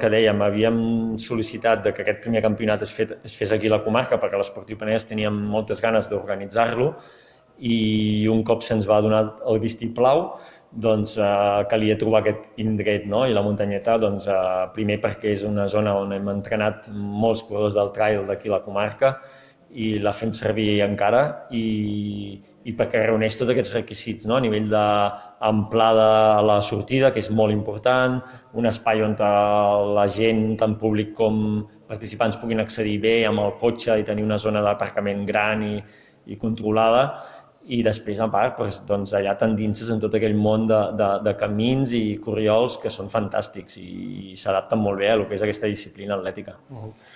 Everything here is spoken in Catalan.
que dèiem, havíem sol·licitat que aquest primer campionat es fes aquí a la comarca perquè l'Esportiu Penedès teníem moltes ganes d'organitzar-lo i un cop se'ns va donar el vistiplau doncs calia trobar aquest indret, no? I la muntanyeta, doncs, primer perquè és una zona on hem entrenat molts corredors del trail d'aquí a la comarca i la fem servir encara i perquè reuneix tots aquests requisits, no? A nivell d'amplada a la sortida, que és molt important, un espai on la gent, tant públic com participants, puguin accedir bé amb el cotxe i tenir una zona d'aparcament gran i controlada. I després, a part, doncs, allà t'endinses en tot aquell món de camins i corriols que són fantàstics i s'adapten molt bé a lo que és aquesta disciplina atlètica.